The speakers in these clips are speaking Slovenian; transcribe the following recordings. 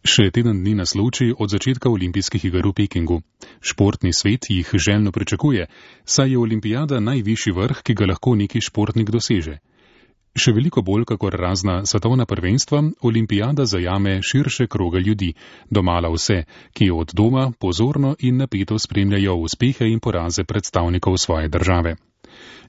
Še teden dni nas loči od začetka olimpijskih iger v Pekingu. Športni svet jih željno pričakuje, saj je olimpijada najvišji vrh, ki ga lahko neki športnik doseže. Še veliko bolj kakor razna svetovna prvenstva, olimpijada zajame širše kroge ljudi, domala vse, ki od doma pozorno in napeto spremljajo uspehe in poraze predstavnikov svoje države.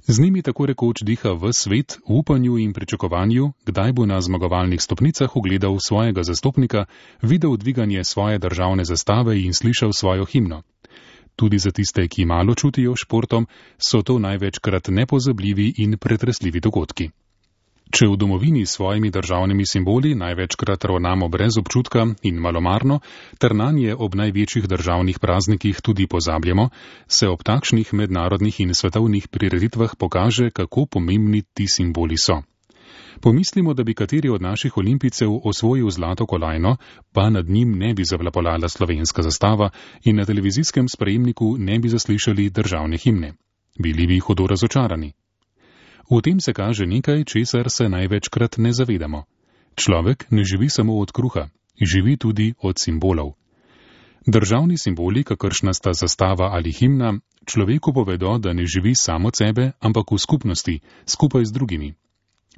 Z njimi tako rekoč diha ves svet v upanju in pričakovanju, kdaj bo na zmagovalnih stopnicah ugledal svojega zastopnika, videl dviganje svoje državne zastave in slišal svojo himno. Tudi za tiste, ki malo čutijo športom, so to največkrat nepozabljivi in pretresljivi dogodki. Če v domovini s svojimi državnimi simboli največkrat ravnamo brez občutka in malomarno, ter nanje ob največjih državnih praznikih tudi pozabljamo, se ob takšnih mednarodnih in svetovnih prireditvah pokaže, kako pomembni ti simboli so. Pomislimo, da bi kateri od naših olimpijcev osvojil zlato kolajno, pa nad njim ne bi zavlapolala slovenska zastava in na televizijskem sprejemniku ne bi zaslišali državne himne. Bili bi hudo razočarani. V tem se kaže nekaj, česar se največkrat ne zavedamo. Človek ne živi samo od kruha, živi tudi od simbolov. Državni simboli, kakršna sta zastava ali himna, človeku povedo, da ne živi samo od sebe, ampak v skupnosti, skupaj z drugimi.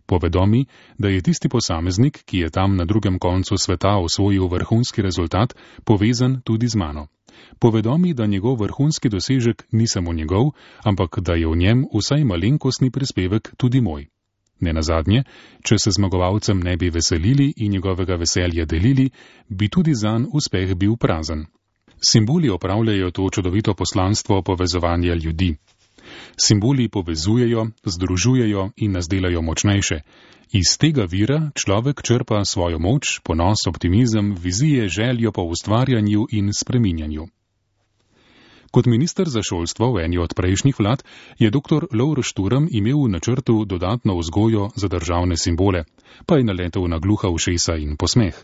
Povedo mi, da je tisti posameznik, ki je tam na drugem koncu sveta osvojil vrhunski rezultat, povezan tudi z mano. Povedo mi, da njegov vrhunski dosežek ni samo njegov, ampak da je v njem vsaj malenkostni prispevek tudi moj. Nenazadnje, če se zmagovalcem ne bi veselili in njegovega veselja delili, bi tudi zanj uspeh bil prazen. Simboli opravljajo to čudovito poslanstvo povezovanja ljudi. Simboli povezujejo, združujejo in nas delajo močnejše. Iz tega vira človek črpa svojo moč, ponos, optimizem, vizije, željo po ustvarjanju in spreminjanju. Kot minister za šolstvo v eni od prejšnjih vlad je dr. Lovro Šturm imel v načrtu dodatno vzgojo za državne simbole, pa je naletel na gluha ušesa in posmeh.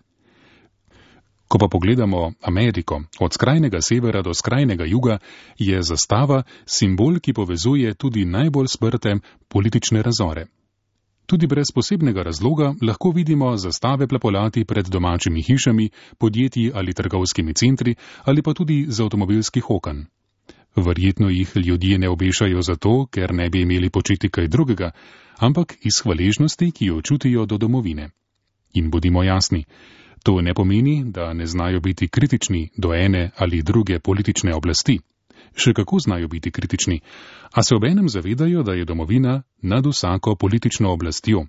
Ko pa pogledamo Ameriko, od skrajnega severa do skrajnega juga, je zastava simbol, ki povezuje tudi najbolj sprte politične razore. Tudi brez posebnega razloga lahko vidimo zastave plapolati pred domačimi hišami, podjetji ali trgovskimi centri ali pa tudi z avtomobilskih oken. Verjetno jih ljudje ne obešajo zato, ker ne bi imeli početi kaj drugega, ampak iz hvaležnosti, ki jo čutijo do domovine. In bodimo jasni, to ne pomeni, da ne znajo biti kritični do ene ali druge politične oblasti. Še kako znajo biti kritični, a se obenem zavedajo, da je domovina nad vsako politično oblastjo.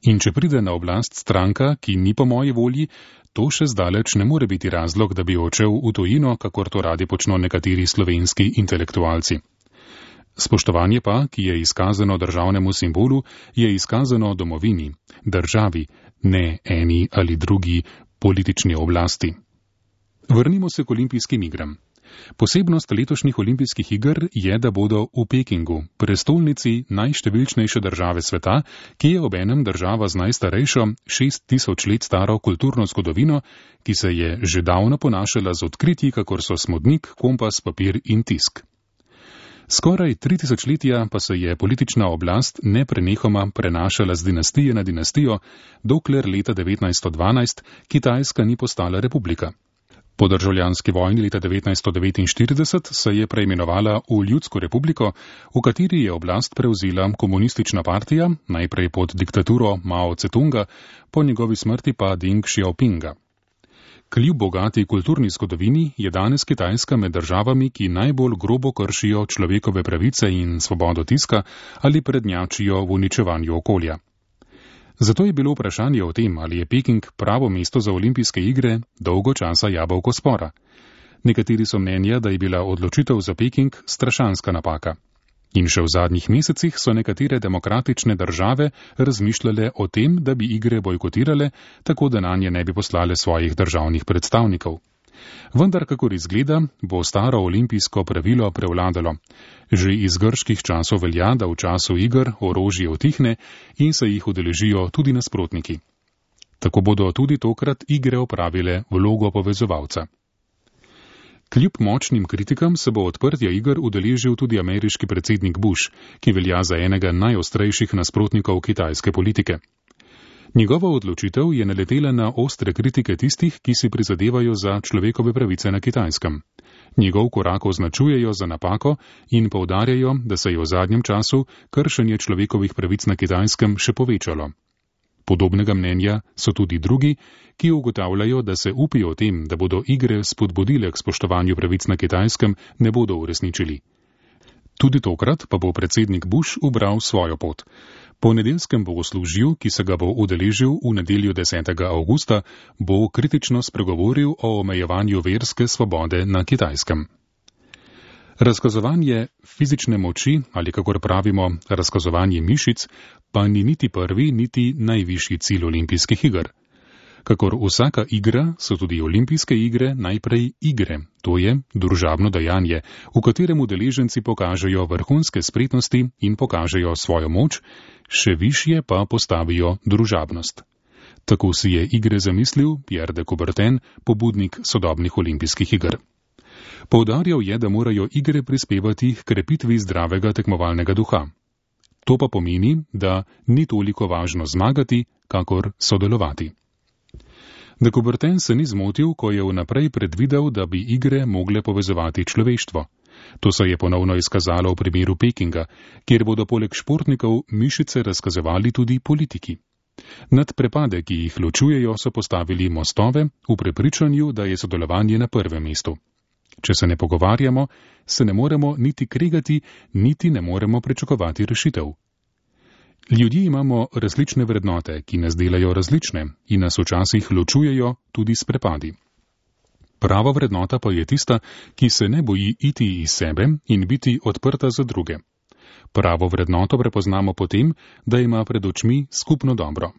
In če pride na oblast stranka, ki ni po moji volji, to še zdaleč ne more biti razlog, da bi odšel v tujino, kakor to radi počno nekateri slovenski intelektualci. Spoštovanje pa, ki je izkazano državnemu simbolu, je izkazano domovini, državi, ne eni ali drugi politični oblasti. Vrnimo se k olimpijskim igram. Posebnost letošnjih olimpijskih iger je, da bodo v Pekingu, prestolnici najštevilčnejše države sveta, ki je obenem država z najstarejšo 6000 let staro kulturno zgodovino, ki se je že davno ponašala z odkritji, kakor so smodnik, kompas, papir in tisk. Skoraj 3000 letja pa se je politična oblast neprenehoma prenašala z dinastije na dinastijo, dokler leta 1912 Kitajska ni postala republika. Po državljanski vojni leta 1949 se je preimenovala v Ljudsko republiko, v kateri je oblast prevzela komunistična partija, najprej pod diktaturo Mao Tse-tunga, po njegovi smrti pa Deng Xiaopinga. Kljub bogati kulturni zgodovini je danes Kitajska med državami, ki najbolj grobo kršijo človekove pravice in svobodo tiska ali prednjačijo v uničevanju okolja. Zato je bilo vprašanje o tem, ali je Peking pravo mesto za olimpijske igre, dolgo časa jabolko spora. Nekateri so mnenja, da je bila odločitev za Peking strašanska napaka. In še v zadnjih mesecih so nekatere demokratične države razmišljale o tem, da bi igre bojkotirale, tako da nanje ne bi poslale svojih državnih predstavnikov. Vendar, kakor izgleda, bo staro olimpijsko pravilo prevladalo. Že iz grških časov velja, da v času iger orožje utihne in se jih udeležijo tudi nasprotniki. Tako bodo tudi tokrat igre opravile vlogo povezovalca. Kljub močnim kritikam se bo odprtja iger udeležil tudi ameriški predsednik Bush, ki velja za enega najostrejših nasprotnikov kitajske politike. Njegova odločitev je naletela na ostre kritike tistih, ki si prizadevajo za človekove pravice na Kitajskem. Njegov korak označujejo za napako in poudarjajo, da se je v zadnjem času kršenje človekovih pravic na Kitajskem še povečalo. Podobnega mnenja so tudi drugi, ki ugotavljajo, da se upijo o tem, da bodo igre spodbudile k spoštovanju pravic na Kitajskem, ne bodo uresničili. Tudi tokrat pa bo predsednik Bush ubral svojo pot. Po nedeljskem bogoslužju, ki se ga bo udeležil v nedeljo 10. avgusta, bo kritično spregovoril o omejevanju verske svobode na Kitajskem. Razkazovanje fizične moči, ali kakor pravimo, razkazovanje mišic, pa ni niti prvi, niti najvišji cilj olimpijskih iger. Kakor vsaka igra, so tudi olimpijske igre najprej igre, to je družabno dejanje, v katerem udeleženci pokažejo vrhunske spretnosti in pokažejo svojo moč, še višje pa postavijo družabnost. Tako si je igre zamislil Pierre de Coubertin, pobudnik sodobnih olimpijskih iger. Poudarjal je, da morajo igre prispevati k krepitvi zdravega tekmovalnega duha. To pa pomeni, da ni toliko važno zmagati, kakor sodelovati. De Coubertin se ni zmotil, ko je vnaprej predvidel, da bi igre mogle povezovati človeštvo. To se je ponovno izkazalo v primeru Pekinga, kjer bodo poleg športnikov mišice razkazovali tudi politiki. Nad prepade, ki jih ločujejo, so postavili mostove v prepričanju, da je sodelovanje na prvem mestu. Če se ne pogovarjamo, se ne moremo niti kregati, niti ne moremo pričakovati rešitev. Ljudje imamo različne vrednote, ki nas delajo različne in nas včasih ločujejo tudi s prepadi. Prava vrednota pa je tista, ki se ne boji iti iz sebe in biti odprta za druge. Pravo vrednoto prepoznamo potem, da ima pred očmi skupno dobro.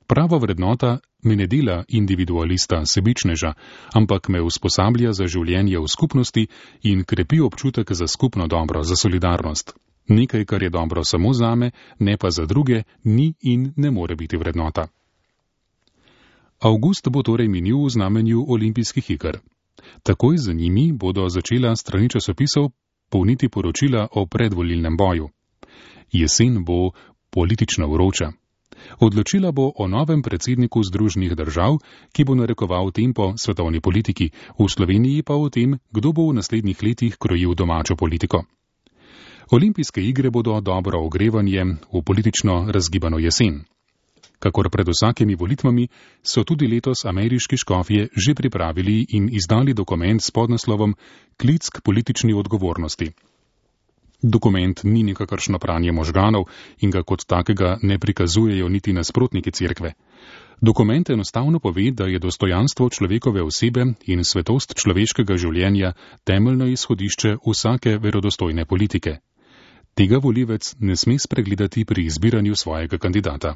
Prava vrednota me ne dela individualista, sebičneža, ampak me usposablja za življenje v skupnosti in krepi občutek za skupno dobro, za solidarnost. Nekaj, kar je dobro samo zame, ne pa za druge, ni in ne more biti vrednota. Avgust bo torej minil v znamenju olimpijskih iger. Takoj za njimi bodo začela strani časopisov polniti poročila o predvolilnem boju. Jesen bo politično vroča. Odločila bo o novem predsedniku Združenih držav, ki bo narekoval tempo svetovni politiki, v Sloveniji pa o tem, kdo bo v naslednjih letih krojil domačo politiko. Olimpijske igre bodo dobro ogrevanje v politično razgibano jesen. Kakor pred vsakimi volitvami, so tudi letos ameriški škofje že pripravili in izdali dokument s podnaslovom Klic k politični odgovornosti. Dokument ni nikakršno pranje možganov in ga kot takega ne prikazujejo niti nasprotniki cerkve. Dokument enostavno pove, da je dostojanstvo človekove osebe in svetost človeškega življenja temeljno izhodišče vsake verodostojne politike. Tega volivec ne sme spregledati pri izbiranju svojega kandidata.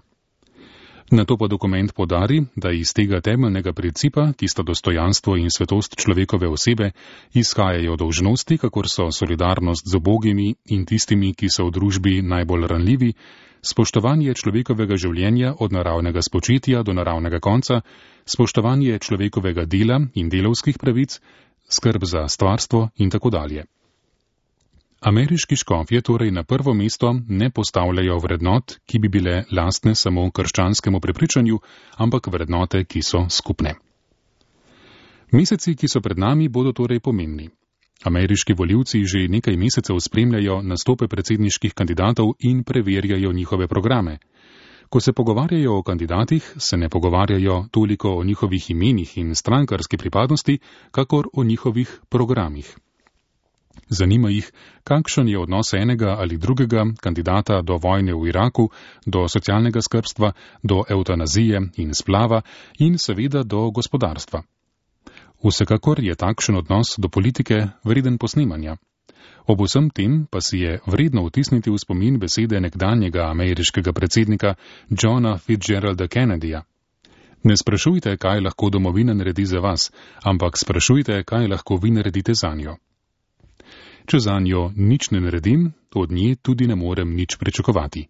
Nato pa dokument podari, da iz tega temeljnega principa, ki sta dostojanstvo in svetost človekove osebe, izhajajo dolžnosti, kakor so solidarnost z ubogimi in tistimi, ki so v družbi najbolj ranljivi, spoštovanje človekovega življenja od naravnega spočetja do naravnega konca, spoštovanje človekovega dela in delavskih pravic, skrb za stvarstvo in tako dalje. Ameriški škofje torej na prvo mesto ne postavljajo vrednot, ki bi bile lastne samo krščanskemu prepričanju, ampak vrednote, ki so skupne. Meseci, ki so pred nami, bodo torej pomembni. Ameriški volivci že nekaj mesecev spremljajo nastope predsedniških kandidatov in preverjajo njihove programe. Ko se pogovarjajo o kandidatih, se ne pogovarjajo toliko o njihovih imenih in strankarski pripadnosti, kakor o njihovih programih. Zanima jih, kakšen je odnos enega ali drugega kandidata do vojne v Iraku, do socialnega skrbstva, do evtanazije in splava in seveda do gospodarstva. Vsekakor je takšen odnos do politike vreden posnemanja. Ob vsem tem pa si je vredno vtisniti v spomin besede nekdanjega ameriškega predsednika Johna Fitzgeralda Kennedyja. Ne sprašujte, kaj lahko domovina naredi za vas, ampak sprašujte, kaj lahko vi naredite zanjo. Če zanjo nič ne naredim, od nje tudi ne morem nič pričakovati.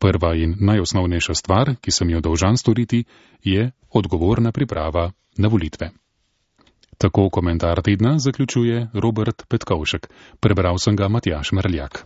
Prva in najosnovnejša stvar, ki sem jo dolžan storiti, je odgovorna priprava na volitve. Tako komentar tedna zaključuje Robert Petkovšek. Prebral sem ga Matjaž Merljak.